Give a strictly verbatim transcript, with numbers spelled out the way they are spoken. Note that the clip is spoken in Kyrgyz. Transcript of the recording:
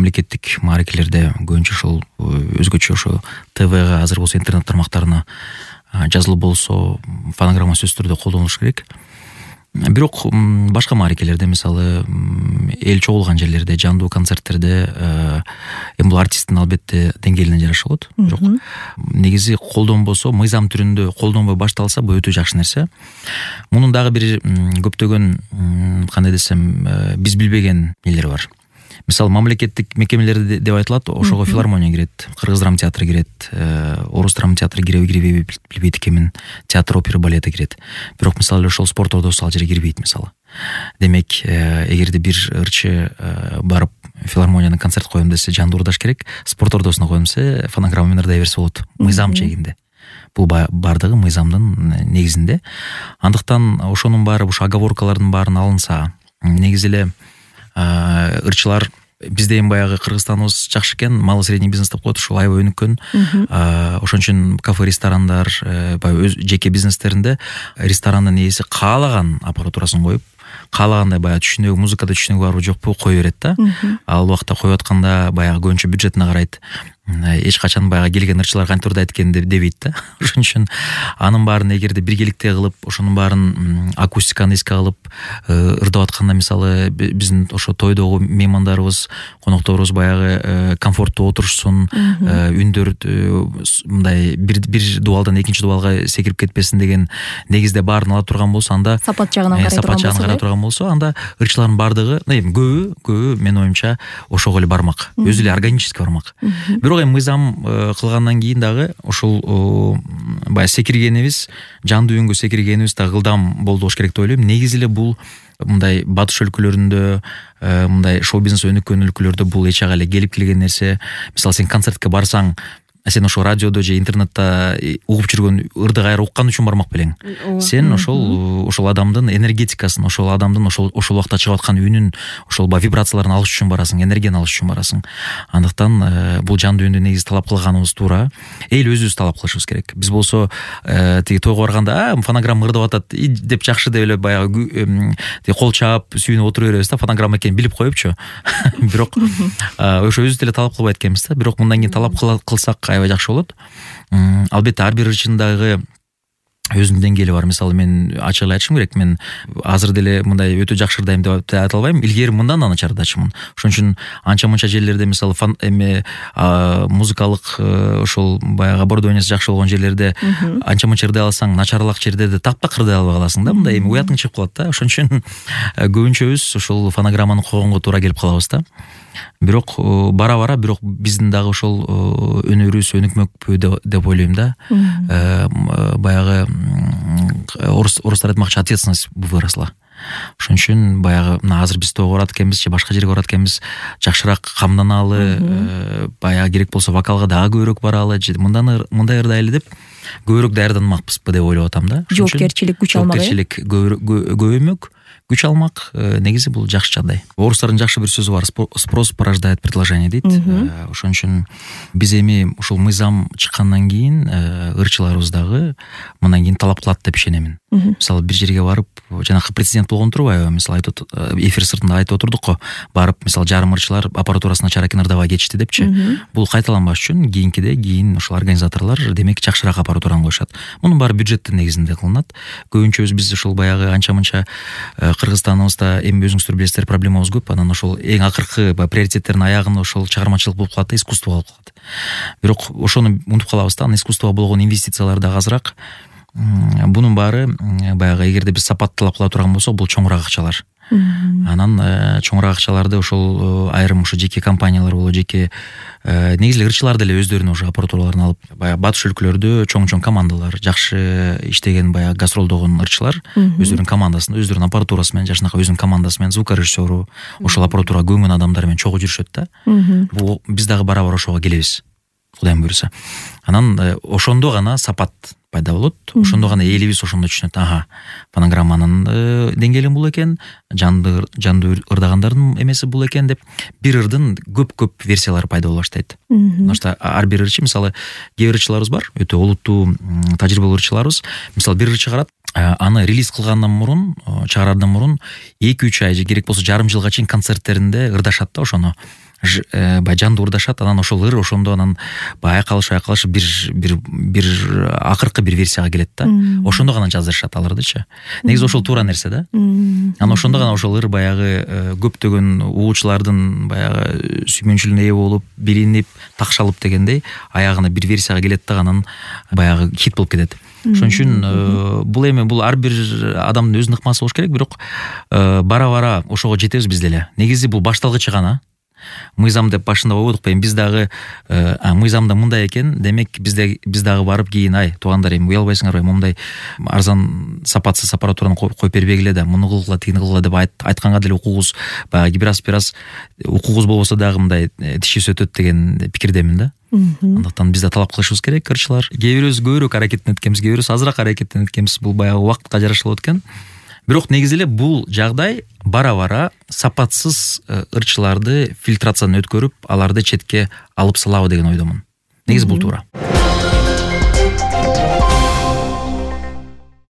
мамлекеттик мааракелерде көбүнчө ошол өзгөчө ошо ТВга азыр болсо интернет тармактарына жазылуу болсо фонограмма сөзсүз түрдө колдонулуш керек. Бирок башка мааракелерде, мисалы эл чогулган жерлерде, жандуу концерттерде эми бул артисттин албетте деңгээлине жараша болот. Бирок негизи колдонбосо, мыйзам түрүндө колдонбой башталса, бул өтө жакшы нерсе. Мунун дагы бир көптөгөн, кандай десем, биз билбеген нелери бар. Мисалы мамлекеттик мекемелерде деп айтылат, ошого филармония кирет, кыргыз драма театры кирет, орус драма театры киреби кирбейби билбейт экенмин, театр, опера, балета кирет. Бирок мисалы ошол спорт ордосу ал жерге кирбейт мисалы. Демек, эгерде бир ырчы барып филармонияны концерт коем десе, жанды урдаш керек, спорт ордосуна коем десе, фонограмма менен ырдай берсе болот. Мыйзам чегинде. Бул бардыгы мыйзамдын негизинде. Андыктан ошонун баары, ушу оговоркалардын баарын алынса, негизи эле ырчылар бизде эми баягы Кыргызстаныбыз жакшы экен, малый средний бизнес деп коет, ушул аябай өнүккөн. Ошон үчүн кафе, ресторандар, баягы өз жеке бизнестеринде ресторанын ээси каалаган аппаратурасын коюп, каалагандай баягы түшүнүгү, музыкада түшүнүгү барбы жокпу кое берет да. Ал убакта коюп атканда баягы көбүнчө бюджетине карайт. Эч качан баягы келген ырчылар кантип ырдайт экен дебейт да. Ошон үчүн анын баарын эгерде биргеликте кылып, ошонун баарын акустиканы эске алып ырдап атканда, мисалы биздин ошо тойдогу меймандарыбыз, конокторубуз баягы комфорттуу отурушсун, үндөр мындай бир бир дубалдан экинчи дубалга секирип кетпесин деген негизде баарын ала турган болсо, анда сапат жагынан карай турган болсо, сапат жагынан карай турган болсо, анда ырчылардын бардыгы, эми көбү, көбү менин оюмча ошого эле бармак, өзү эле органически бармак. Бирок эми мыйзам кылгандан кийин дагы ушул баягы секиргенибиз, жандуу үнгө секиргенибиз дагы ылдам болуш керек деп ойлойм. Негизи эле бул мындай батыш өлкөлөрүндө, мындай шоу бизнес өнүккөн өлкөлөрдө бул эч ага эле келип келген нерсе. Мисалы сен концертке барсаң, сен ошо радиодо же интернетте угуп жүргөн ырды кайра уккан үчүн бармак белең. Сен ошол ошол адамдын энергетикасын, ошол адамдын ошол ошол убакта чыгып аткан үнүн, ошол вибрацияларын алыш үчүн барасың, энергияны алыш үчүн барасың. Андыктан бул жандуу үндү негизи талап кылганыбыз туура. Эл өзүбүз талап кылышыбыз керек. Биз болсо тиги тойго барганда, а фонограмма ырдап атат деп жакшы деп эле баягы кол чаап, сүйүнүп отура беребиз да, фонограмма экенин билип коюпчу. Бирок ошо өзүбүз деле талап кылбайт экенбиз да. Бирок мындан кийин талап кылсак аябай жакшы болот. Албетте ар бир ырчындагы өзүнүн деңгээли бар. Мисалы мен ачык эле айтышым керек, мен азыр деле мындай өтө жакшы ырдайм деп айта албайм. Илгери мындан да начар ырдачымын. Ошон үчүн анча-мынча жерлерде, мисалы эми музыкалык ошол баягы оборудованиясы жакшы болгон жерлерде анча-мынча ырдай алсаң, начарлак жерде таптак ырдай албай каласың да. Мындай эми уятың чыгып калат да. Ошон үчүн көбүнчөбүз ошол фонограмманы койгонго туура келип калабыз да. Бирок бара-бара бирок биздин дагы ошол өнөрүбүз өнүкмөкпү деп ойлойм да. Баягы орустар айтмакчы, ответственность выросла. Ошон үчүн баягы мына азыр биз тойго барат экенбиз же башка жерге барат экенбиз, жакшыраак камданалы, баягы керек болсо вокалга дагы көбүрөөк баралы, же мындан мындай ырдайлы деп көбүрөөк даярданмакпызбы деп ойлоп атам да. Жоопкерчилик күч алмак. Жоопкерчилик көбөймөк, күч алмак, негизи бул жакшы жагдай. Орустардын жакшы бир сөзү бар, спрос порождает предложение дейт. Ошон үчүн биз эми ушул мыйзам чыккандан кийин ырчыларыбыз дагы мындан кийин талап кылат деп ишенемин. Мисалы бир жерге барып, жанакы прецедент болгон турбайбы? Мисалы айтып эфир сыртында айтып отурдук го, барып мисалы жарым ырчылар аппаратурасын начар экен ырдабай кетишти депчи. Бул кайталанбаш үчүн кийинкиде кийин ушул организаторлор демек жакшыраак аппаратураны коюшат. Мунун баары бюджеттин негизинде кылынат. Көбүнчөбүз биз ушул баягы анча-мынча Кыргызстаныбызда эми өзүңүздөр билесиздер, проблемабыз көп. Анан ошол эң акыркы приоритеттердин аягын ошол чыгармачылык болуп калат да, искусство болуп калат. Бирок ошону унутуп калабыз да, искусствого болгон инвестициялар дагы азыраак. Бунун баары баягы эгерде биз сапат талап кыла турган болсок, бул чоңураак акчалар. Анан чоңураак акчаларды ошол айрым ошо жеке компаниялар болобу, жеке негизи ырчылар деле өздөрүнүн уже аппаратураларын алып, баягы батыш өлкөлөрдө чоң-чоң командалар, жакшы иштеген баягы гастролдогон ырчылар өздөрүнүн командасын, өздөрүнүн аппаратурасы менен, жашынакай өзүнүн командасы менен, звукорежиссеру, ошол аппаратурага көңгөн адамдар менен чогуу жүрүшөт да. Бул биз дагы бара-бара ошого келебиз, Кудайым буйруса. Анан ошондо гана сапат пайда болот. Ошондо гана элибиз ошондо түшүнөт. Ага, фонограмманын деңгээли бул экен, жанды жанды ырдагандардын эмеси бул экен деп бир ырдын көп-көп версиялары пайда боло баштайт. Потому что ар бир ырчы, мисалы, кээ бир ырчыларыбыз бар, өтө олуттуу тажрыйбалуу ырчыларыбыз. Мисалы, бир ырчы карат, аны релиз кылгандан мурун, чыгарардан мурун эки үч ай же керек болсо жарым жылга чейин концерттеринде ырдашат да ошону. баягы жанды урдашат, анан ошол ыр ошондо анан баягы айкалышып айкалышып бир бир бир акыркы бир версияга келет да. Ошондо гана жаздырышат алардычы. Негизи ошол туура нерсе да. Анан ошондо гана ошол ыр баягы көптөгөн угуучулардын баягы сүймөнчүлүгүнө ээ болуп, билинип, такшалып дегендей аягына бир версияга келет да, анан баягы хит болуп кетет. Ошон үчүн бул эми бул ар бир адамдын өзүнүн ыкмасы болуш керек, бирок бара-бара ошого жетебиз биз деле. Негизи бул башталгычы гана. Мыйзам деп башында ойбодук, эми биз дагы мыйзамда мындай экен, демек бизде биз дагы барып кийин ай туугандар эми уялбайсыңарбы, момундай арзан сапатсыз аппаратураны коюп бербегиле да, муну кылгыла, тигини кылгыла деп айтканга деле укугубуз баягы бир аз бир аз укугубуз болбосо дагы мындай тишибиз өтөт деген пикирдемин да. Андыктан биз да талап кылышыбыз керек, ырчылар. Кээ бирөөбүз көбүрөөк аракеттенет экенбиз, кээ бирөөбүз азыраак аракеттенет экенбиз. Бул баягы убакытка жараша болот экен. Бирок негизи эле бул жагдай бара-бара сапатсыз ырчыларды фильтрациядан өткөрүп, аларды четке алып салабы деген ойдомун. Негизи бул туура.